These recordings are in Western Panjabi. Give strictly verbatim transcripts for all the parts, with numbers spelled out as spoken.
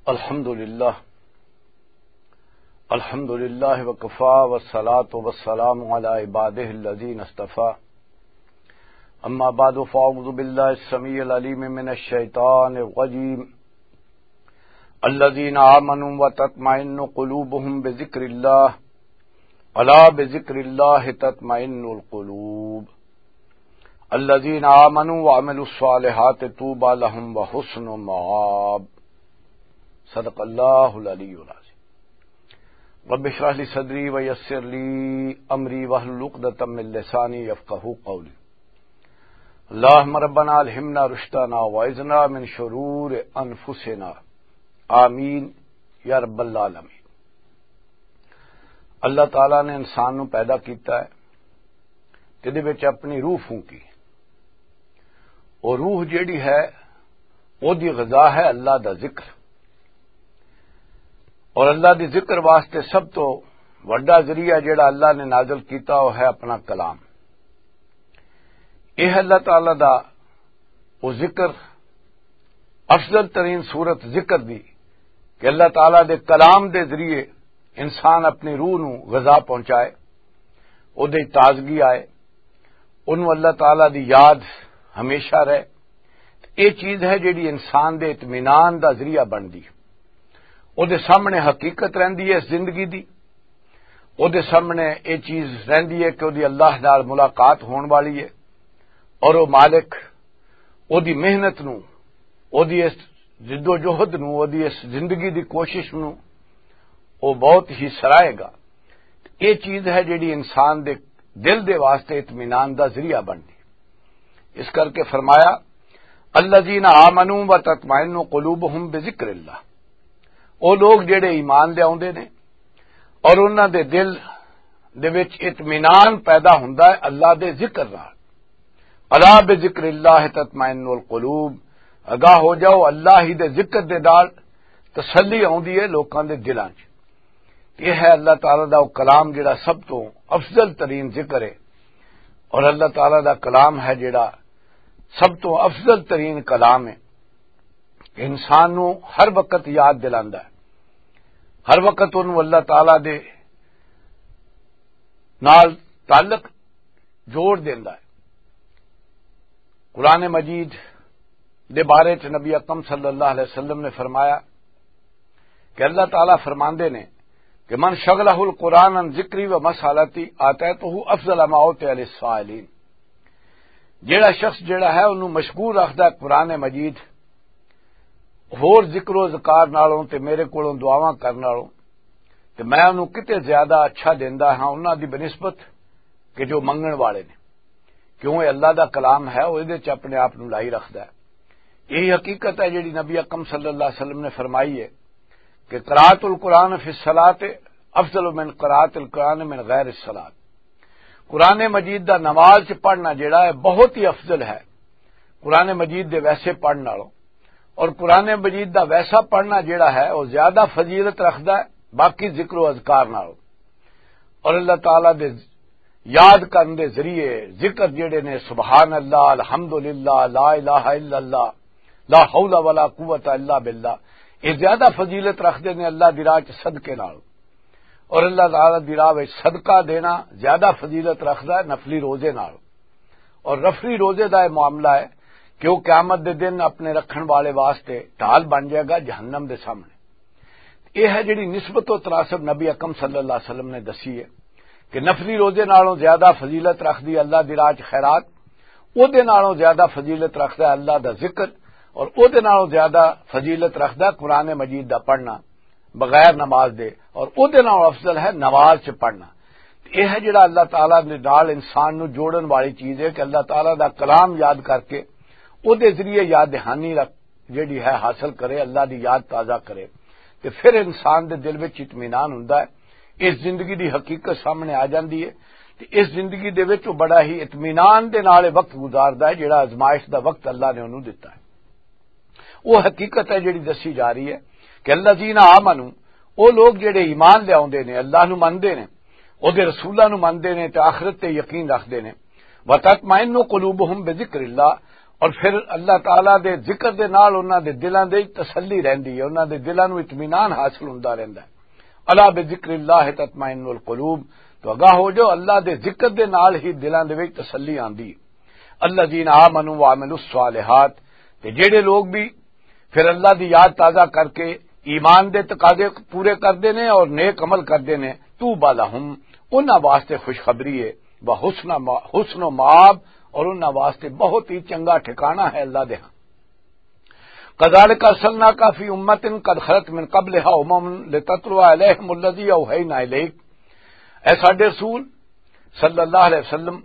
الحمد لله. الحمد لله وكفى، والصلاة والسلام على عباده الذين اصطفى. أما بعد، فأعوذ بالله السميع العليم من الشيطان الرجيم. الذين آمنوا وتطمئن قلوبهم بذكر الله، ألا بذكر الله تطمئن القلوب. الذين آمنوا وعملوا الصالحات طوبى لهم وحسن مآب. صدق الله العلي العظيم. رب اشرح لي صدري ويسر لي أمري واحلل عقدة من لساني يفقهوا قولي. اللهم ربنا ألهمنا رشدنا وأعذنا من شرور أنفسنا. آمين يا رب العالمين. اللہ تعالیٰ نے انسان نو پیدا کیتا ہے، تے دے وچ اپنی روح پھونکی۔ اور روح جیڑی ہے، او دی غذا ہے اللہ دا ذکر۔ اور اللہ دی ذکر واسطے سب تو وڈا ذریعہ جیڑا اللہ نے نازل کیتا، وہ ہے اپنا کلام۔ یہ اللہ تعالیٰ دا وہ ذکر، افضل ترین صورت ذکر دی، کہ اللہ تعالیٰ دے کلام دے ذریعے انسان اپنی روح نو غذا پہنچائے، او دے تازگی آئے، اونوں اللہ تعالیٰ دی یاد ہمیشہ رہے۔ یہ چیز ہے جیڑی انسان دے اطمینان دا ذریعہ بندی۔ او دے سامنے حقیقت رہندی ہے اس زندگی دی۔ او دے سامنے یہ چیز رہندی ہے کہ او دی اللہ نال ملاقات ہون والی ہے، اور او مالک او دی محنت نو، او دی اس جد و جہد نو، او دی اس زندگی دی کوشش نو، او بہت ہی سراہے گا۔ یہ چیز ہے جیڑی انسان دے دل دے واسطے اطمینان دا ذریعہ بندی۔ اس کر کے فرمایا، "الذین آمنوا وتطمئن قلوبہم بذکر اللہ۔" او لوگ جڑے ایمان لے آوندے نے اور انہاں دے دل دے وچ اطمینان پیدا ہوندا ہے اللہ دے ذکر نال۔ "الا بذکر اللہ تطمئن القلوب۔" آگاہ ہو جاؤ، اللہ ہی دے ذکر دے نال تسلی آوندی ہے لوکاں دے دلاں 'چ۔ یہ ہے اللہ تعالیٰ دا وہ کلام جڑا سب تو افضل ترین ذکر ہے، اور اللہ تعالیٰ دا کلام ہے جڑا سب تو افضل ترین کلام ہے۔ انسان نو ہر وقت یاد دلاندا ہے، ہر وقت انہوں اللہ تعالیٰ دے نال تعلق جوڑ دیندا ہے۔ قرآن مجید دے بارے چ نبی اکرم صلی اللہ علیہ وسلم نے فرمایا کہ اللہ تعالیٰ فرماندے نے کہ "من شغلہ القرآن عن ذکری و مسالتی آتیتہ افضل ما اوتی علی السائلین۔" جیڑا شخص جیڑا ہے انہوں مشغول رکھدا ہے قرآن مجید ہور ذکر و اذکار نالوں تے میرے کولوں دعاواں کرن نالوں، تے میں انہوں کتے زیادہ اچھا دیندا ہاں انہاں دی بنسبت کہ جو منگن والے نے۔ کیوں؟ یہ اللہ دا کلام ہے، وہ دے چ اپنے آپ نوں لائی رکھدا ہے۔ یہی حقیقت ہے جڑی نبی اکرم صلی اللہ علیہ وسلم نے فرمائی ہے کہ "قراءۃ القرآن فی الصلاۃ افضل من قراءۃ القرآن من غیر الصلاۃ۔" قرآن مجید دا نماز چ پڑھنا جڑا ہے، بہت ہی افضل ہے قرآن مجید دے ویسے پڑھن نالوں۔ اور قرآن مجید دا ویسا پڑھنا جڑا ہے، وہ زیادہ فضیلت رکھدا ہے باقی ذکر و اذکار نالوں۔ اور اللہ تعالیٰ دے یاد کرن دے ذریعے ذکر جڑے نے، سبحان اللہ، الحمدللہ، لا الہ الا اللہ، لا حول ولا قوت الا باللہ، یہ زیادہ فضیلت رکھدے نے اللہ دی راہ چ صدقے نال۔ اور اللہ تعالیٰ دی راہ وچ صدقہ دینا زیادہ فضیلت رکھدا ہے نفلی روزے نال۔ اور نفلی روزے دا یہ معاملہ ہے کہ وہ قیامت دے دن اپنے رکھن والے واسطے ڈھال بن جائے گا جہنم دے سامنے۔ یہ ہے جڑی نسبت و تناسب نبی اکرم صلی اللہ علیہ وسلم نے دسی ہے کہ نفلی روزے نالوں زیادہ فضیلت رکھدی اللہ دی راہ چ خیرات، او دے نالوں زیادہ فضیلت رکھدا ہے اللہ دا ذکر، اور او دے نالوں زیادہ فضیلت رکھدا ہے قرآن مجید دا پڑھنا بغیر نماز دے، اور او دے نالوں افضل ہے نماز چ پڑھنا۔ یہ ہے جڑا اللہ تعالیٰ دے نال انسان نو جوڑن والی چیز ہے کہ اللہ تعالیٰ دا کلام یاد کر کے او دے ذریعے یاد دہانی رکھ جڑی ہے حاصل کرے، اللہ دی یاد تازہ کرے، تے پھر انسان دے دل وچ اطمینان ہوندا ہے۔ اس زندگی دی حقیقت سامنے آ جاندی ہے، تے اس زندگی دے وچ وہ بڑا ہی اطمینان دے نال وقت گزاردا ہے، جڑا آزمائش دا وقت اللہ نے انہوں دتا ہے۔ وہ حقیقت ہے جڑی دسی جا رہی ہے کہ الذین آمنوا، وہ لوگ جڑے ایمان لے آوندے نے، اللہ نو مندے نے، او دے رسولاں نو مندے نے تے آخرت تے یقین رکھدے نے۔ وتطمئن قلوبہم بذکر اللہ، اور پھر اللہ تعالیٰ دے ذکر دے نال انہاں دے دلاں دے وچ تسلی رہندی ہے، انہاں دے دلاں نوں اطمینان حاصل ہوندا رہندا ہے۔ الا بذکر اللہ تطمئن القلوب، تو آگاہ ہو جو اللہ دے ذکر دے نال ہی دلاں دے وچ تسلی آندی ہے۔ الذین آمنوا وعملوا الصالحات، تے جڑے لوگ بھی پھر اللہ دی یاد تازہ کر کے ایمان دے تقاضے پورے کردے نے اور نیک عمل کردے نے، طوبی لہم، انہاں واسطے خوشخبری ہے، و حسن ما-، حسن و مآب، اور انہاں واسطے بہت ہی چنگا ٹھکانہ ہے اللہ دے ہاں۔ کذالک ارسلناک فی امۃ قد خلت من قبلها امم لتتلو علیہم الذی اوحینا الیک۔ اے ساڈے رسول صلی اللہ علیہ وسلم،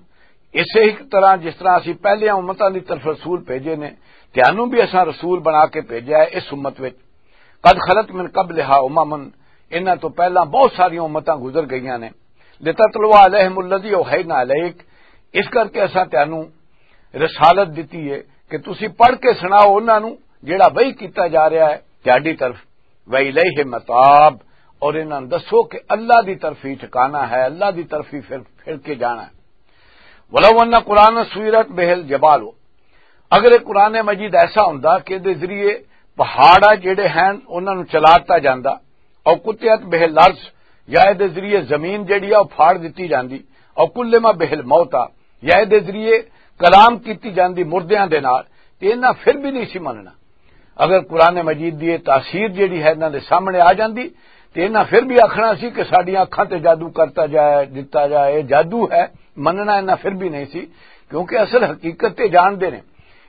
اسے ہی طرح جس طرح اسی پہلیاں امتاں دی طرف رسول بھیجے نے، تانوں بھی اساں رسول بنا کے بھیجا ہے اس امت وچ۔ قد خلت من قبلها امم، انہاں تو پہلاں بہت ساریاں امتاں گزر گئیاں نے۔ لتتلو علیہم الذی اوحینا الیک، اس کر کے اساں تانوں رسالت دتی ہے کہ تسی پڑھ کے سناؤ انہاں نوں جڑا وحی کیتا جا رہا ہے تہاڈی طرف۔ وَإِلَيْهِ مَتَابٌ، اور انہاں نوں دسو کہ اللہ دی طرف ہی ٹھکانہ ہے، اللہ دی طرف ہی پھر، پھر کے جانا ہے۔ وَلَوْ أَنَّ قُرْآنًا سُيِّرَتْ بِهِ الْجِبَالُ، اگر یہ قرآن مجید ایسا ہوندا کہ دے ذریعے پہاڑ آ جڑے ہیں انہاں نوں چلا دتا جاندا، او قطعت بہ الارض، یا اے دے ذریعے زمین جڑی آ، او پھاڑ دتی جاندی، او کلم بہ الموتیٰ، یا اے دے ذریعے کلام کیتی جاندی مردیاں دے نال، تے انہاں پھر بھی نہیں سی مننا۔ اگر قرآن مجید دی یہ تاثیر جڑی ہے انہاں دے سامنے آ جاندی، تے انہاں پھر بھی آکھنا سی کہ ساڈیاں اکھاں تے جادو کرتا جائے، دتا جائے، یہ جادو ہے، مننا انہاں پھر بھی نہیں سی، کیونکہ اصل حقیقت تے جاندے نے۔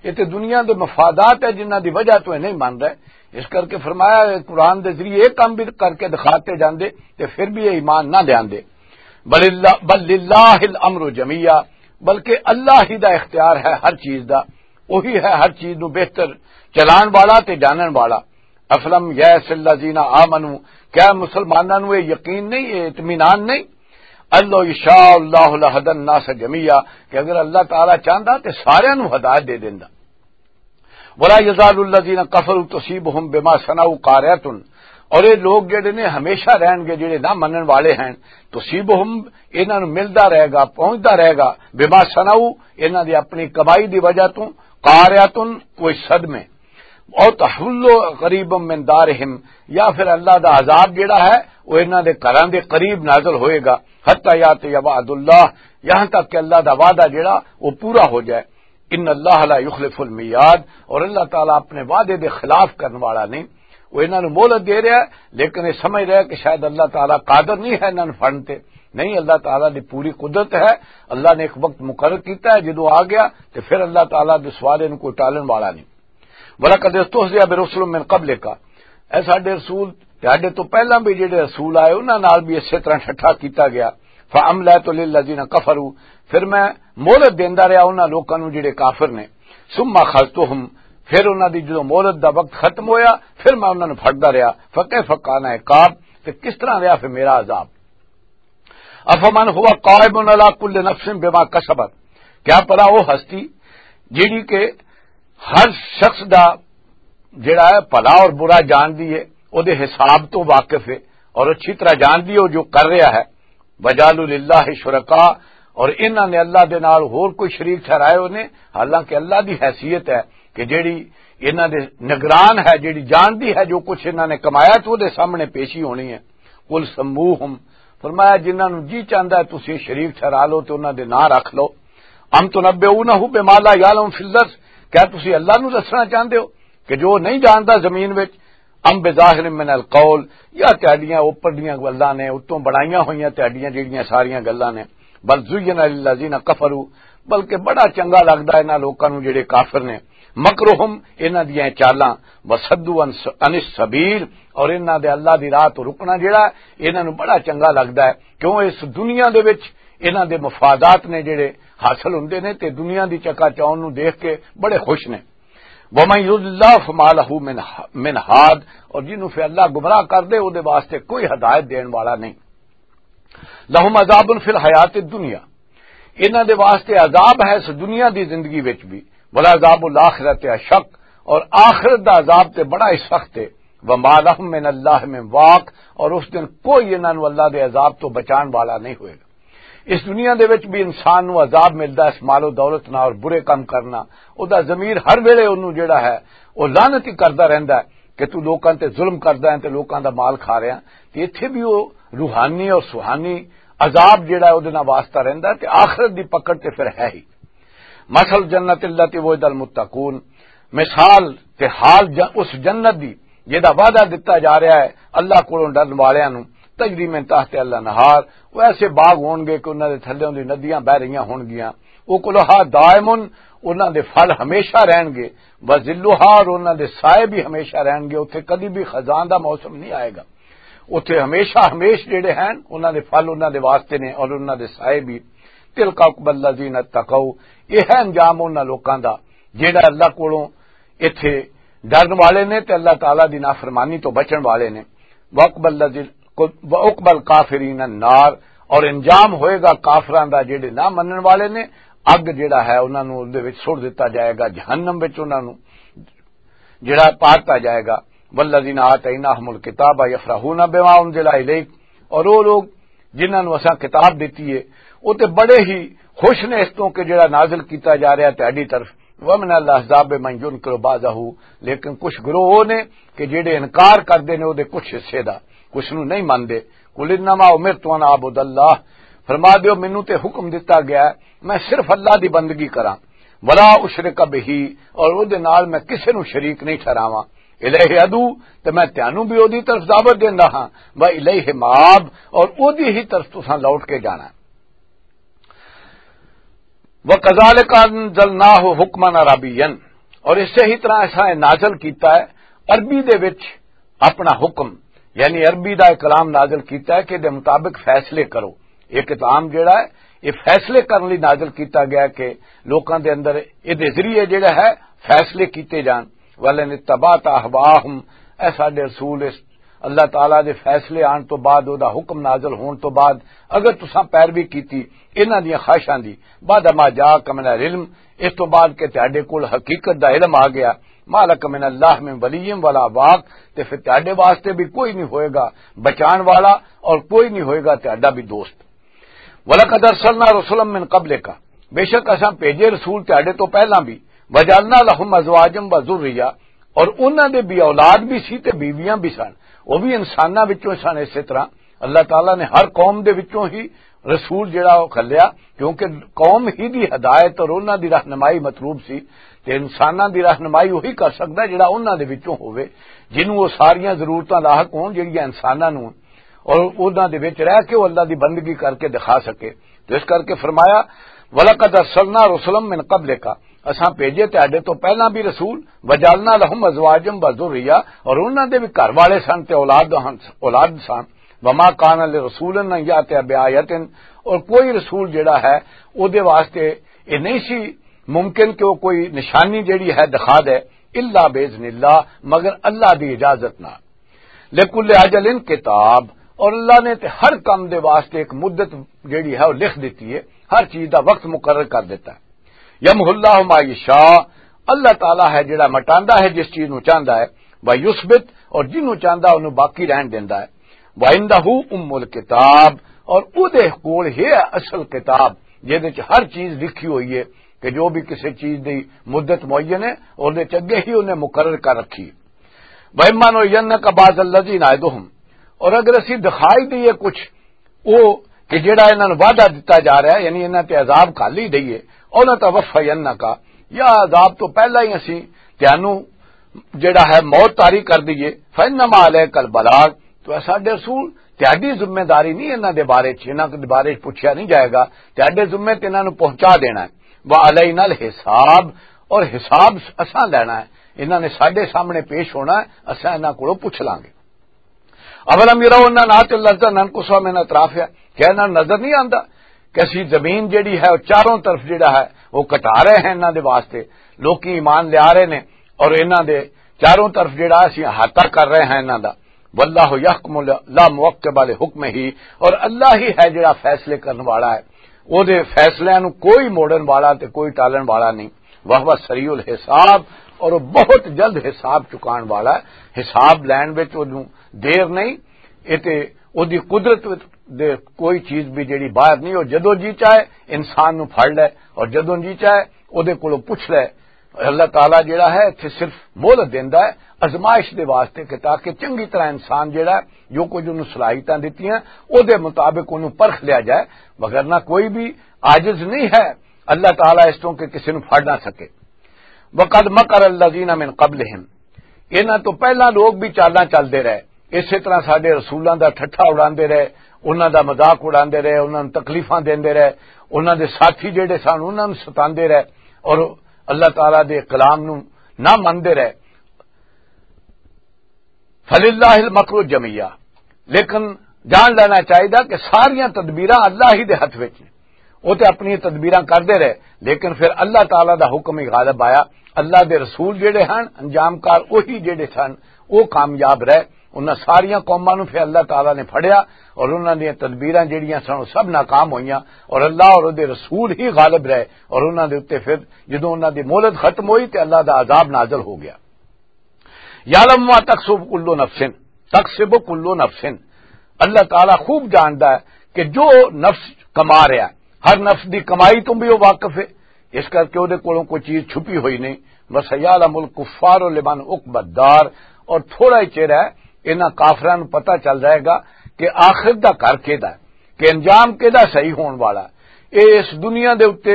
یہ تے دنیا دے مفادات ہے جنہاں دی وجہ تو یہ نہیں من رہے۔ اس کر کے فرمایا، اے قرآن دے ذریعے یہ کام بھی کر کے دکھاتے جاندے تے پھر بھی یہ ایمان نہ لیاندے۔ بل اللہ، بل للہ الامر جمیعا، بلکہ اللہ ہی دا اختیار ہے ہر چیز دا، وہی ہے ہر چیز نو بہتر چلان والا تے جانن والا۔ افلم یأس الذین آمنوا، کیا مسلماناں نو یہ یقین نہیں، یہ اطمینان نہیں؟ لو یشاء اللہ لہدی الناس جمیعا، کہ اگر اللہ تعالیٰ چاہندا تے سارے نو ہدایت دے دیندا۔ ولا یزال الذین کفروا تصیبہم بما صنعوا قارعۃ، اور یہ لوگ جڑے نے ہمیشہ رہن گے جڑے نہ منن والے ہیں، تصیبہم، انہاں نوں ملدا رہے گا، پہنچدا رہے گا، بما صنعوا، انہاں دی اپنی کمائی دی وجہ تو، قارعۃ، کوئی صدمے، او تحل قریب من دارہم، یا پھر اللہ دا عذاب جڑا ہے وہ انہاں دے گھراں دے قریب نازل ہوئے گا، حتی یاتی وعد اللہ، یہاں تک کہ اللہ دا وعدہ جڑا وہ پورا ہو جائے۔ ان اللہ لا یخلف المیعاد، اور اللہ تعالیٰ اپنے وعدے دے خلاف کرن والا نہیں۔ وہ انہاں نوں مہلت دے رہا ہے، لیکن یہ سمجھ رہا ہے کہ شاید اللہ تعالیٰ قادر نہیں ہے انہاں نوں پھڑن تے۔ نہیں، اللہ تعالیٰ دی پوری قدرت ہے۔ اللہ نے ایک وقت مقرر کیتا ہے، جدوں آ گیا تے پھر اللہ تعالیٰ دے سوال نوں کوئی ٹالن والا نہیں۔ وَلَقَدِ اسْتُهْزِئَ بِرُسُلٍ مِّن قَبْلِكَ، اے ساڈے رسول، تہاڈے تو پہلاں بھی جڑے رسول آئے، انہاں نال بھی اسی طرح ٹھٹھا کیتا گیا۔ فَأَمْلَيْتُ لِلَّذِينَ كَفَرُوا، پھر میں مہلت دیندا رہیا انہاں لوکاں نوں جڑے کافر نے۔ ثُمَّ أَخَذْتُهُمْ، پھر انہاں دی جدوں مہلت دا وقت ختم ہویا، پھر میں انہاں نوں پھڑدا رہیا۔ فَكَيْفَ كَانَ عِقَابِ، تے کس طرح رہیا پھر میرا عذاب۔ افمن هو قائم علی کل نفس بما کسبت، کیا پرا وہ ہستی جیڑی کہ ہر شخص دا جڑا ہے بھلا اور برا جان دی ہے، او دے حساب تو واقف ہے اور اچھی طرح جان دی ہے وہ جو کر رہا ہے۔ وجعلوا للہ شرکاء، اور انہاں نے اللہ دے نال ہور کوئی شریک ٹھہرائے ہوئے نے، حالانکہ اللہ دی حیثیت ہے کہ جیڑی انہاں دے نگران ہے، جیڑی جان دی ہے جو کچھ انہاں نے کمایا تو دے سامنے پیشی ہونی ہے۔ قل سموہم، فرمایا جنہاں نوں جی چاہندا ہے تسی شریک ٹھہرا لو تے انہاں دے ناں رکھ لو۔ ام تنبئونہ بما لا یعلم فی الارض، کیا تسی اللہ نوں دسنا چاہندے ہو کہ جو نہیں جاندا زمین وچ؟ ام بظاہر من القول، یا تہاڈیاں اوپر دیاں گلاں نے، اتوں بنائیاں ہوئیاں تہاڈیاں جڑیاں ساریاں گلاں نے۔ بل زین للذین کفروا، بلکہ بڑا چنگا لگدا انہاں لوکاں نوں جڑے کافر نے، مکرہم، انہاں دیاں چالاں، وصدوا عن س-، عن السبیل، اور انہاں دے اللہ دی راہ تو رکنا جڑا ہے، انہاں نوں بڑا چنگا لگدا ہے، کیوں اس دنیا دے وچ انہاں دے مفادات نے جڑے حاصل ہوندے نے تے دنیا دی چکا چون نوں دیکھ کے بڑے خوش نے۔ ومن یضلل اللہ فما لہ من، من ہاد، اور جنوں پھر اللہ گمراہ کر دے، او دے واسطے کوئی ہدایت دین والا نہیں۔ لہم عذاب فی الحیات الدنیا، انہاں دے واسطے عذاب ہے اس دنیا دی زندگی وچ بھی، ولا عذاب الاخرۃ اشق، اور آخرت دا عذاب تے بڑا ہی سخت ہے۔ وما لہم من اللہ من واق، اور اس دن کوئی انہاں نوں اللہ دے عذاب تو بچان والا نہیں ہوئے گا۔ اس دنیا دے وچ بھی انسان نوں عذاب ملدا ہے اس مال و دولت نال اور برے کم کرنا۔ او دا ضمیر ہر ویلے اونوں جڑا ہے، او لعنت ہی کردا رہندا ہے کہ تو لوکاں تے ظلم کردا ہے تے لوکاں دا مال کھا رہا ہے۔ تے ایتھے بھی او روحانی اور سوہانی عذاب جڑا ہے، او دے نال واسطہ رہندا ہے تے آخرت دی پکڑ تے پھر ہے ہی۔ مثل جنت اللہ تے وعد المتقون، مثال تے حال ج-، اس جنت دی جہدا وعدہ دتا جا رہا ہے اللہ کولوں ڈرن والیاں نوں، تجری من تحت اللہ نہار، وہ ایسے باغ ہون گے کہ انہاں دے تھلیوں دی ندیاں بہ رہیاں ہون گیاں، وہ کلوہا دائمن، انہاں دے پھل ہمیشہ رہن گے، وذلوہا، اور انہاں دے سائے بھی ہمیشہ رہن گے، اتھے کدی بھی خزان دا موسم نہیں آئے گا۔ اتھے ہمیشہ ہمیش جڑے ہیں، انہاں دے پھل انہاں دے واسطے نے اور انہاں دے سائے بھی۔ تلک عقبی الذین اتقوا، یہ ہے انجام انہاں لوکاں دا جڑا اللہ کولوں ایتھے ڈرن والے نے تے اللہ تعالیٰ دی نافرمانی تو بچن والے نے۔ وعقبی الذین، وعقبی الکافرین النار، اور انجام ہوئے گا کافراں دا جڑے نہ منن والے نے، اگ جڑا ہے انہاں نوں اس دے وچ سٹ دتا جائے گا، جہنم وچ انہاں نوں جڑا پاتا جائے گا۔ والذین آتیناہم الکتاب یفرحون بما انزل الیک، اور وہ لوگ جنہاں نوں اساں کتاب دتی ہے، وہ تے بڑے ہی خوش نے اس تو کہ جڑا نازل کیتا جا رہا ہے تہاڈی طرف۔ ومن الاحزاب من ینکر بعضہ، لیکن کچھ گروہ وہ نے کہ جڑے انکار کردے نے وہ دے کچھ حصے دا، کچھ نوں نہیں مندے۔ قل انما امرت ان اعبد اللہ، فرما دیو مینوں تے حکم دتا گیا ہے میں صرف اللہ دی بندگی کراں، ولا اشرک بہ، اور او دے نال میں کسے نوں شریک نہیں ٹھہراواں۔ الیہ ادعو، تے میں تانوں بھی او دی طرف دعوت دیندا ہاں، و الیہ مآب، اور او دی ہی طرف تساں لوٹ کے جانا ہے۔ وَكَذَلِكَ أَنزَلْنَاهُ حُكْمًا عَرَبِيًّا، اور اس سے ہی طرح ایسا نازل کیتا ہے عربی دے وچ اپنا حکم، یعنی عربی دا ایک کلام نازل کیتا ہے کہ دے مطابق فیصلے کرو۔ ایک کلام جڑا ہے، یہ فیصلے کرنے لئی نازل کیتا گیا کہ لوکاں دے اندر یہ دے ذریعے جڑا ہے فیصلے کیتے جان۔ وَلَئِنِ اتَّبَعْتَ أَهْوَاءَهُمْ، اے ساڈے رسول، اس اللہ تعالیٰ دے فیصلے آن تو بعد، او دا حکم نازل ہون تو بعد، اگر تساں پیروی کیتی انہاں دیاں خواہشاں دی، بعد ما جاءک من العلم، اس تو بعد کہ تہاڈے کول حقیقت دا علم آ گیا، ما لک من اللہ من ولی ولا واق، تے پھر تہاڈے واسطے بھی کوئی نہیں ہوئے گا بچان والا اور کوئی نہیں ہوئے گا تہاڈا بھی دوست۔ وَلَقَدْ أَرْسَلْنَا رُسُلًا مِّن قَبْلِكَ، بے شک اساں بھیجے رسول تہاڈے تو پہلاں بھی، وَجَعَلْنَا لَهُمْ أَزْوَاجًا وَذُرِّيَّةً، اور انہاں دے بھی اولاد بھی سی تے بیویاں بھی سن، وہ بھی انساناں وچوں سن۔ اسی طرح اللہ تعالیٰ نے ہر قوم دے وچوں ہی رسول جڑا وہ کھلیا، کیونکہ قوم ہی دی ہدایت اور انہاں دی رہنمائی مطلوب سی، تے انساناں دی رہنمائی وہی کر سکدا ہے جڑا انہاں دے وچوں ہووے، جنوں وہ ساریاں ضرورتاں لاحق ہون جڑیاں انساناں نوں، اور انہاں دے وچ رہ کے وہ اللہ دی بندگی کر کے دکھا سکے۔ تو اس کر کے فرمایا، وَلَقَدْ أَرْسَلْنَا رُسُلًا مِّن قَبْلِكَ، اساں بھیجے تہاڈے تو پہلاں بھی رسول، وَجَعَلْنَا لَهُمْ أَزْوَاجًا وَذُرِّيَّةً، اور انہاں دے بھی گھر والے سن تے اولاد ہن، اولاد سن۔ وَمَا كَانَ لِرَسُولٍ أَن يَأْتِيَ بِآيَةٍ، اور کوئی رسول جڑا ہے، او دے واسطے یہ نہیں سی ممکن کہ وہ کوئی نشانی جڑی ہے دکھا دے، الا باذن اللہ، مگر اللہ دی اجازت نال۔ لکل اجل کتاب، اور اللہ نے تے ہر کم دے واسطے ایک مدت جڑی ہے وہ لکھ دیتی ہے، ہر چیز دا وقت مقرر کر دیتا ہے۔ یمحو اللہ ما یشاء، اللہ تعالیٰ ہے جڑا مٹاندا ہے جس چیز نو چاہندا ہے، و یثبت، اور جنوں چاہندا انہوں باقی رہن دیندا ہے۔ وعندہ ام الکتاب، اور او دے کول ہے اصل کتاب، جہدے وچ ہر چیز لکھی ہوئی ہے کہ جو بھی کسی چیز دی مدت معین ہے، اور دے چ اگے ہی انہیں مقرر کر رکھی۔ وَإِمَّا نُرِيَنَّكَ بَعْضَ الَّذِي نَعِدُهُمْ، اور اگر اسی دکھائی دئیے کچھ او کہ جڑا انہاں نوں وعدہ دتا جا رہا ہے، یعنی انہاں تے عذاب گھل ہی دئیے، او نہ توفینک، یا عذاب تو پہلا ہی اسی تانوں جڑا ہے موت طاری کر دئیے، فَإِنَّمَا عَلَيْكَ الْبَلَاغُ، تو اے ساڈے رسول، تہاڈی ذمہ داری نہیں انہاں دے بارے چ، انہاں دے بارے چ پوچھیا نہیں جائے گا، تہاڈے ذمے تے انہاں نوں پہنچا دینا ہے۔ وَعَلَيْنَا الْحِسَابُ، اور حساب اساں لینا ہے، انہاں نے ساڈے سامنے پیش ہونا ہے، اساں انہاں کولوں پوچھ لانگے۔ اولم یروا انا ناتی الارض ننقصها من اطرافها، کیا انہاں نوں نظر نہیں آندا کہ اسی زمین جڑی ہے، وہ چاروں طرف جڑا ہے، وہ کٹا رہے ہیں انہاں دے واسطے؟ لوکی ایمان لیا رہے نے اور انہاں دے چاروں طرف جڑا اسی احاطہ کر رہے ہیں انہاں دا۔ واللہ یحکم لا معقب لحکمہ، اور اللہ ہی ہے جڑا فیصلے کرن والا ہے، او دے فیصلیاں نوں کوئی موڑن والا تے کوئی ٹالن والا نہیں۔ وہو سریع الحساب، اور وہ بہت جلد حساب چکان والا ہے۔ حساب لین وچ اودوں دیر نہیں، اے تے اودی قدرت وچ دے کوئی چیز بھی جڑی باہر نہیں، وہ جدوں جی چاہے انسان نو پھڑ لے، اور جدوں جی چاہے او دے کولوں پوچھ لے۔ اللہ تعالیٰ جڑا ہے، اتھے صرف مہلت دیندا ہے، آزمائش دے واسطے، کہ تاکہ چنگی طرح انسان جڑا ہے، جو کچھ انہوں صلاحیتاں دتیاں، او دے مطابق انہوں پرکھ لیا جائے، وگرنہ کوئی بھی عاجز نہیں ہے اللہ تعالیٰ اس تو کہ کسی نو پھڑ نہ سکے۔ وَقَدْ مَكَرَ الَّذِينَ مِنْ قَبْلِهِمْ، انہاں تو پہلا لوگ بھی چالاں چلدے رہے، اسی طرح ساڈے رسولاں دا ٹھٹھا اڑاندے رہے، انہاں دا مذاق اڑاندے رہے، انہاں نوں تکلیفاں دیندے رہے، انہاں دے ساتھی جڑے سن انہاں نوں ستاندے رہے، اور اللہ تعالیٰ دے کلام نوں نہ مندے رہے۔ فَلِلَّهِ الْمَكْرُ جَمِيعًا، لیکن جان لینا چاہیے کہ ساریاں تدبیراں اللہ ہی دے ہاتھ وچ نے۔ وہ تے اپنی تدبیراں کردے رہے، لیکن پھر اللہ تعالیٰ دا حکم ہی غالب آیا۔ اللہ دے رسول جڑے ہن، انجام کار وہی جڑے سن، وہ کامیاب رہے۔ انہاں ساریاں قوماں نوں پھر اللہ تعالیٰ نے پھڑیا اور انہاں دیاں تدبیراں جڑیاں سن، وہ سب ناکام ہوئیاں، اور اللہ اور دے رسول ہی غالب رہے، اور انہاں دے اُتے پھر جدوں انہاں دی مہلت ختم ہوئی تے اللہ دا عذاب نازل ہو گیا۔ یعلم ما تکسب کل نفس، تکسب کل نفس، اللہ تعالیٰ خوب جاندا ہے کہ جو نفس کما رہا ہے، ہر نفس دی کمائی تو بھی وہ واقف ہے، اس کر کے وہ کولوں کوئی چیز چھپی ہوئی نہیں۔ بس یعلم الکفار لمن عقب الدار، اور تھوڑا ہی چیر ہے، انہاں کافراں نوں پتہ چل جائے گا کہ آخرت دا گھر کیدا ہے، کہ انجام کیدا صحیح ہون والا ہے۔ اے اس دنیا دے اُتے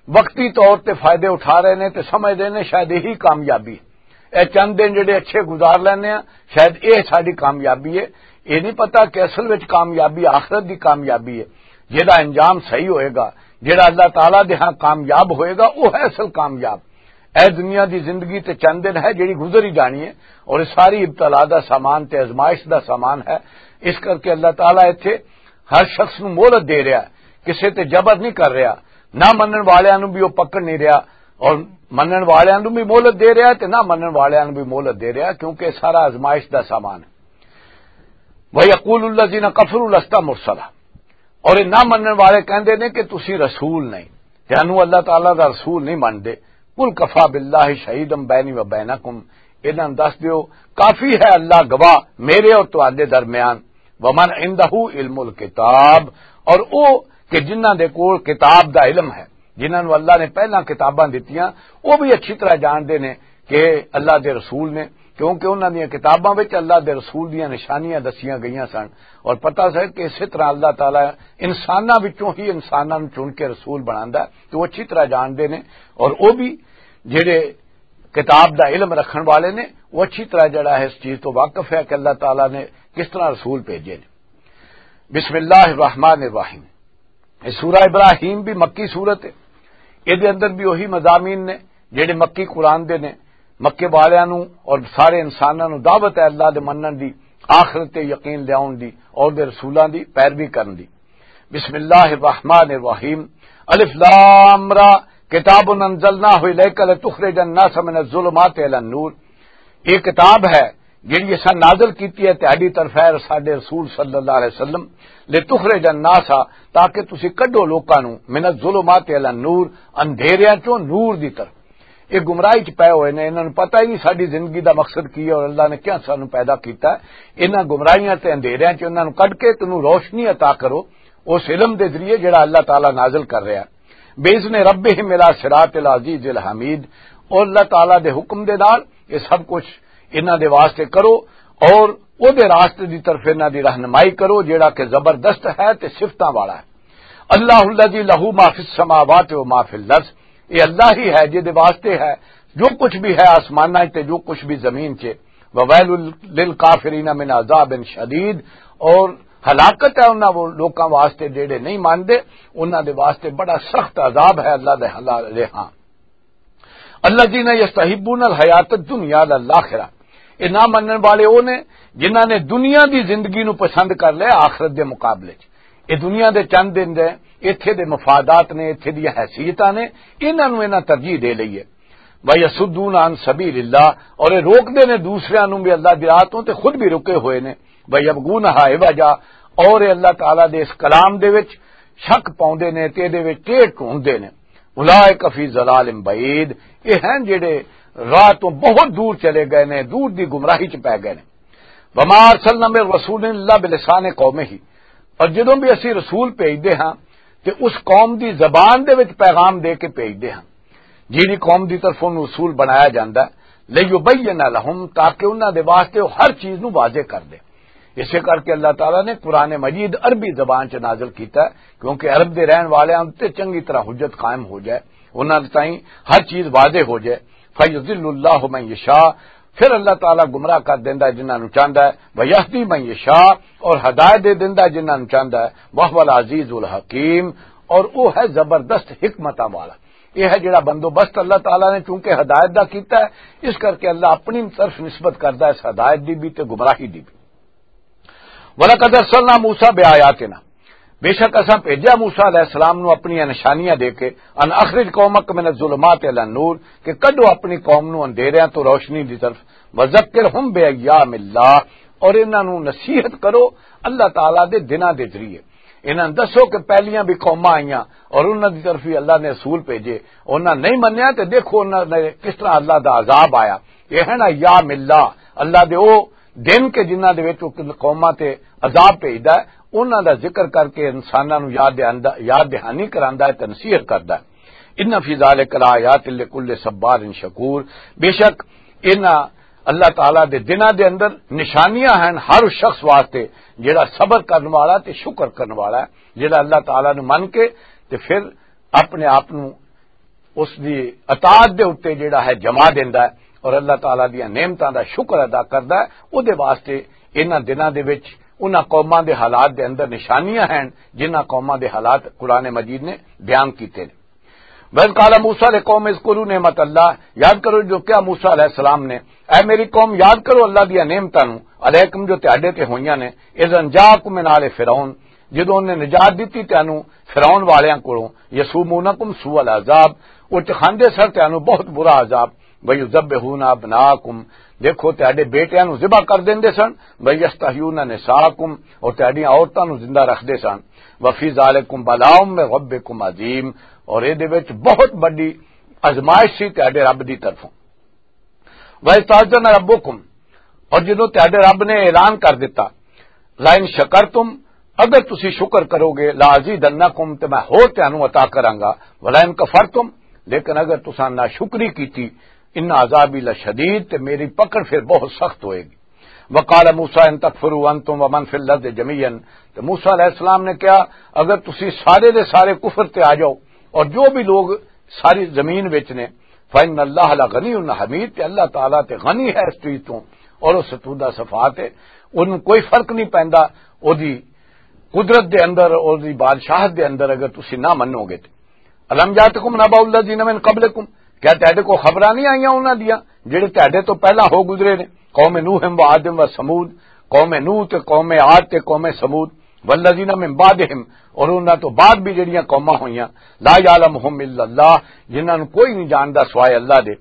وقتی طور تے فائدے اٹھا رہے نے تے سمجھدے نے شاید یہی کامیابی ہے۔ اے چند دن جڑے اچھے گزار لینے ہیں، شاید اے ساڈی کامیابی ہے۔ اے نہیں پتا کہ اصل وچ کامیابی آخرت دی کامیابی ہے۔ جہدا انجام صحیح ہوئے گا، جہڑا اللہ تعالیٰ دے ہاں کامیاب ہوئے گا، وہ ہے اصل کامیاب۔ اے دنیا دی زندگی تے چند دن ہے جڑی گزر ہی جانی ہے، اور یہ ساری ابتلا دا سامان تے آزمائش دا سامان ہے۔ اس کر کے اللہ تعالیٰ ایتھے ہر شخص نوں مہلت دے رہا ہے، کسے تے جبر نہیں کر رہا، نہ منن والیاں نوں بھی وہ پکڑ نہیں رہا، اور منن والیاں نوں بھی مہلت دے رہا ہے تے نہ منن والیاں نوں بھی مہلت دے رہا، کیونکہ یہ سارا آزمائش دا سامان ہے۔ وَيَقُولُ الَّذِينَ كَفَرُوا لَسْتَ مُرْسَلًا، اور یہ نہ منن والے کہندے نے کہ تسی رسول نہیں، تینوں اللہ تعالیٰ دا رسول نہیں منتے۔ قُلْ كَفَىٰ بِاللَّهِ شَهِيدًا بَيْنِي وَبَيْنَكُمْ، انہاں نوں دس دیو، کافی ہے اللہ گواہ میرے اور تہاڈے درمیان۔ وَمَنْ عِنْدَهُ عِلْمُ الْكِتَابِ، اور او کہ جنہاں دے کول کتاب دا علم ہے، جنہاں نوں اللہ نے پہلاں کتاباں دتیاں، وہ بھی اچھی طرح جانتے نے کہ اللہ دے رسول نے، کیونکہ انہاں دیاں کتاباں وچ اللہ دے رسول دیاں نشانیاں دسیاں گئیاں سن، اور پتہ سی کہ اسی طرح اللہ تعالیٰ انساناں وچوں ہی انساناں نوں چن کے رسول بناندا ہے، تو وہ اچھی طرح جانتے نے۔ اور وہ بھی جڑے کتاب دا علم رکھن والے نے، وہ اچھی طرح جڑا ہے اس چیز تو واقف ہے کہ اللہ تعالیٰ نے کس طرح رسول بھیجے نے۔ بسم اللہ الرحمن الرحیم۔ یہ سورہ ابراہیم بھی مکی سورت ہے۔ یہ دے اندر بھی وہی مضامین نے جڑے مکی قرآن دے نے، مکے والیاں نوں اور سارے انساناں نوں دعوت ہے اللہ دے منن دی، آخرت تے یقین لیاون دی اور دے رسولاں دی پیروی کرن دی۔ بسم اللہ الرحمن الرحیم۔ الف لام را، کتاب انزلناہ الیک لتخرج الناس من الظلمات الی النور۔ یہ کتاب ہے جڑی اساں نازل کیتی ہے تہاڈی طرف، اے ساڈے رسول صلی اللہ علیہ وسلم، لتخرج الناس، تاکہ تسی کڈو لوکاں نوں من الظلمات الی النور، اندھیریاں چوں نور دی طرف۔ یہ گمراہی چ پے ہوئے نے، انہاں نوں پتہ ہی نہیں ساڈی زندگی دا مقصد کی ہے اور اللہ نے کیا سانوں پیدا کیتا ہے۔ انہاں گمراہیاں تے اندھیریاں چ انہاں نوں کڈ کے تینوں روشنی عطا کرو اس علم دے ذریعے جڑا اللہ تعالیٰ نازل کر رہا ہے۔ بِإِذْنِ رَبِّهِمْ إِلَىٰ صِرَاطِ الْعَزِيزِ الْحَمِيدِ، اور اللہ تعالیٰ دے حکم دے نال یہ سب کچھ انہاں دے واسطے کرو، اور او دے راستے دی طرف انہاں دی رہنمائی کرو، جیڑا کہ زبردست ہے تے صفتاں والا ہے۔ اللہ الذی لہ ما فی السماوات و ما فی الارض، یہ اللہ ہی ہے جے دے واسطے ہے جو کچھ بھی ہے آسماناں 'چ تے جو کچھ بھی زمین 'چ۔ وویل للکافرین من عذاب شدید، اور ہلاکت ہے انہاں وہ لوکاں واسطے جیڑے نہیں مانتے، انہاں دے واسطے بڑا سخت عذاب ہے اللہ دے حلال ہاں۔ الذین یستحبون الحیات الدنیا علی الاخرہ، یہ نہ منن والے وہ نے جنہاں نے دنیا دی زندگی نو پسند کر لیا آخرت دے مقابلے 'چ۔ یہ دنیا دے چند دن دے، ایتھے دے مفادات نے، ایتھے دی حیثیتاں نے، انہاں نو انہاں ترجیح دے لئی ہے۔ وَيَصُدُّونَ عَن سَبِيلِ اللَّهِ، اور یہ روک دے نے دوسریاں نو بھی اللہ دی راہ تو تے خود بھی رکے ہوئے نے۔ وَيَبْغُونَهَا عِوَجًا، اور یہ اللہ تعالیٰ دے اس کلام دے وچ شک پاؤندے نے تے دے وچ ٹیڑھ ڈھونڈدے نے۔ اولئک فی ضلال بعید، یہ ہیں جڑے راہ تو بہت دور چلے گئے نے، دور دی گمراہی چ پے گئے نے۔ وما ارسلنا من رسول الا بلسان قومه، اور جدوں بھی اسی رسول بھیجدے ہاں تے اس قوم دی زبان دے وچ پیغام دے کے بھیجدے ہاں، جیڑی قوم دی طرفوں رسول بنایا جاندا ہے، لیبین لہم، تاکہ انہاں دے واسطے وہ ہر چیز نو واضح کر دے۔ اسے کر کے اللہ تعالیٰ نے قرآن مجید عربی زبان چ نازل کیتا ہے، کیونکہ عرب دے رہن والے تے چنگی طرح حجت قائم ہو جائے، انہاں دے تائیں ہر چیز واضح ہو جائے۔ فیضل اللہ من یشاء، پھر اللہ تعالیٰ گمراہ کر دیندا ہے جنہاں نوں چاہندا ہے، ویہدی من یشاء، اور ہدایت دے دیندا ہے جنہاں نوں چاہندا ہے، وہو العزیز الحکیم، اور وہ ہے زبردست حکمتاں والا۔ یہ ہے جڑا بندوبست اللہ تعالیٰ نے چونکہ ہدایت دا کیتا ہے، اس کر کے اللہ اپنی طرف نسبت کردا ہے اس ہدایت دی بھی تے گمراہی دی بھی۔ وَلَقَدْ أَرْسَلْنَا مُوسَىٰ بِآيَاتِنَا، بے شک اساں بھیجا موسیٰ علیہ السلام نو اپنیاں نشانیاں دے کے، ان اخرج قومک من الظلمات الی النور، کہ کڈو اپنی قوم نو اندھیریاں تو روشنی دی طرف، وذکرہم بایام اللہ، اور انہاں نو نصیحت کرو اللہ تعالیٰ دے دناں دے ذریعے۔ انہاں نوں دسو کہ پہلیاں بھی قوماں آئیاں اور انہاں دی طرف بھی اللہ نے رسول بھیجے، انہاں نہیں منیا تے دیکھو انہاں نے کس طرح اللہ دا عذاب آیا۔ یہ ہے نا یام اللہ، اللہ دے او دن کہ جنہاں دے وچ او قوماں تے عذاب بھیجدا ہے، انہاں دا ذکر کر کے انساناں نوں یاد دہاندا، یاد دہانی کراندا ہے تے نصیحت کردا ہے۔ ان فی ذالک لآیات لکل صبار شکور، بے شک انہاں اللہ تعالیٰ دے دناں دے اندر نشانیاں ہیں ہر اس شخص واسطے جڑا صبر کرن والا تے شکر کرن والا ہے، جڑا اللہ تعالیٰ نوں من کے تے پھر اپنے آپ نوں اس دی اطاعت دے اُتے جڑا ہے جما دیندا ہے اور اللہ تعالیٰ دیاں نعمتاں دا شکر ادا کردا ہے۔ او دے واسطے انہاں دناں دے وچ انہاں قوماں دے حالات دے اندر نشانیاں ہیں، جنہاں قوماں دے حالات قرآن مجید نے بیان کیتے نے۔ وَإِذْ قَالَ مُوسَىٰ لِقَوْمِهِ اذْكُرُوا نِعْمَتَ اللَّهِ، یاد کرو جو کیا موسیٰ علیہ السلام نے، اے میری قوم، یاد کرو اللہ دیاں نعمتاں نوں، علیکم، جو تہاڈے تے ہوئیاں نے، اذ انجاکم من آل فرعون، جدوں انہاں نے نجات دتی تانوں فرعون والیاں کولوں، یسومونکم سوء العذاب، وہ چکھاندے سن تانوں بہت برا عذاب، ویذبحون ابناکم، دیکھو تہاڈے بیٹیاں نوں ذبح کر دیندے سن، ویستحیون نساءکم، اور تہاڈیاں عورتاں نوں زندہ رکھدے سن، وفی ذالکم بلاء من ربکم عظیم، اور اے دے وچ بہت بڑی آزمائش سی تہاڈے رب دی طرفوں۔ وَإِذْ تَأَذَّنَ رَبُّكُمْ، اور جدوں تہاڈے رب نے اعلان کر دتا، لَئِن شَكَرْتُمْ، اگر تسی شکر کرو گے، لَأَزِيدَنَّكُمْ، تے میں ہور تانوں عطا کراں گا، وَلَئِن كَفَرْتُمْ، لیکن اگر تساں ناشکری کیتی، إِنَّ عَذَابِي لَشَدِيدٌ، تے میری پکڑ پھر بہت سخت ہوئے گی۔ وَقَالَ مُوسَىٰ إِن تَكْفُرُوا أَنتُمْ وَمَن فِي الْأَرْضِ جَمِيعًا، تے موسیٰ علیہ السلام نے کہا، اگر تسی سارے دے سارے کفر تے آ جاؤ اور جو بھی لوگ ساری زمین وچ نے، فَإِنَّ اللَّهَ لَغَنِيٌّ حَمِيدٌ، تے اللہ تعالیٰ تے غنی ہے اس چیز تو، اور اس ستودہ صفات ہے، ان کوئی فرق نہیں پیندا، او دی قدرت دے اندر، او دی بادشاہت دے اندر اگر تسی نہ منو گے تے۔ الم یاتکم نبأ الذین من قبلکم، کیا تہاڈے کو خبراں نہیں آئیاں انہاں دیاں جڑے تہاڈے تو پہلا ہو گزرے نے؟ قوم نوح و عاد و ثمود، قوم نوح تے قوم عاد تے قوم ثمود، والذین من بعدہم، اور انہاں تو بعد بھی جڑیاں قوماں ہوئیاں، لا یعلمہم الا اللہ، جنہاں نوں کوئی نہیں جاندا سوائے اللہ دے۔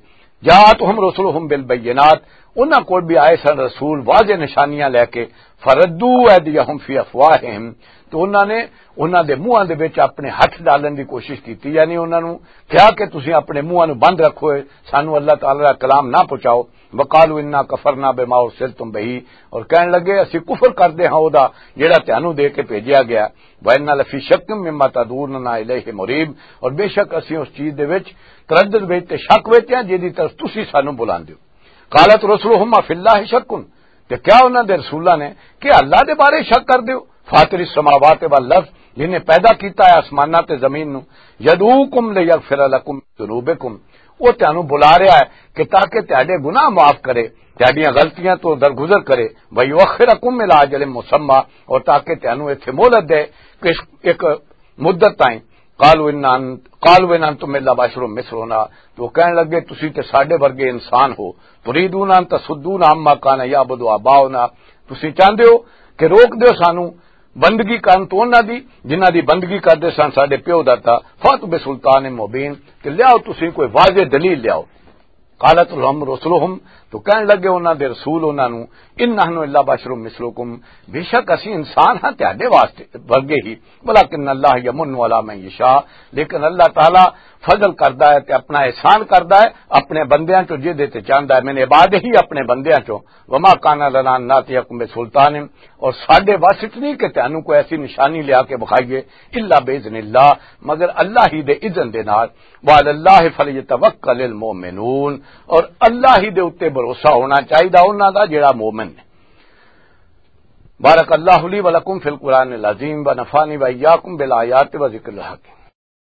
جاءتہم رسلہم بالبینات، انہاں کول بھی آئے سن رسول واضح نشانیاں لے کے، فردوا ایدیہم فی افواہہم، تو انہاں نے انہاں دے منہاں دے وچ اپنے ہتھ ڈالن دی کوشش کیتی، یعنی انہاں نوں کہا کہ تسیں اپنے منہاں نوں بند رکھو، سانوں اللہ تعالی دا کلام نہ پہنچاؤ۔ وقالوا انا کفرنا بما ارسلتم بہ، اور کہن لگے، اسی کفر کردے ہاں او دا جڑا تانوں دے کے بھیجیا گیا۔ وانا لفی شک مما تدعوننا الیہ مریب، اور بے شک اسی اس چیز دے وچ تردد وچ تے شک وچ ہیں جدی طرف تسی سانوں بلاندے ہو۔ قالت رسلہم افی اللہ شک، تے کیا انہاں دے رسولاں نے کہ اللہ دے بارے شک کر دیو؟ فاطر السماوات والارض، جن نے پیدا کیتا ہے آسماناں تے زمین نو، یدعوکم لیغفر لکم ذنوبکم، وہ تانوں بلا رہا ہے کہ تاکہ تہاڈے گناہ معاف کرے، تہاڈیاں غلطیاں تو درگزر کرے، ویؤخرکم الی اجل مسمی، اور تاکہ تانوں ایتھے مہلت دے کہ ایک مدت تائیں۔ قالوا ان ان-، قالوا ان انتم الا بشر مثلنا، تو کہن لگے، تسی تے ساڈے ورگے انسان ہو، تريدون ان تصدونا عما كان يعبد آباؤنا، تسی چاہندے ہو کہ روک دیو سانو بندگی کرن تو انہاں دی جنہاں دی بندگی کردے سن ساڈے پیو دادا، فاتوا بسلطان مبين، تے لیاؤ تسی کوئی واضح دلیل لیاؤ۔ قالت لهم رسلهم، تو کہن لگے انہاں دے رسول انہاں نو، ان نحن الا بشر مثلکم، بے شک اسی انسان ہاں تہاڈے واسطے ورگے ہی، ولکن اللہ یمن علی من یشاء، لیکن اللہ تعالی فضل کردا ہے تے اپنا احسان کردا ہے اپنے بندیاں چوں، جے دے تے چاہندا ہے، من عبادہ، اپنے بندیاں چوں۔ وما کان لنا ان ناتیکم بسلطان، اور ساڈے وس وچ نہیں کہ تانوں کوئی ایسی نشانی لیا کے بخائیے، الا باذن اللہ، مگر اللہ ہی دے اذن دے نال۔ وعلی اللہ فلیتوکل المؤمنون، اور اللہ ہی دے اُتے بھروسہ ہونا چاہیدا انہاں دا جڑا مومن ہے۔ بارک اللہ لی و لکم فی القرآن العظیم و نفعنی و ایاکم بالآیات و ذکر الحکیم۔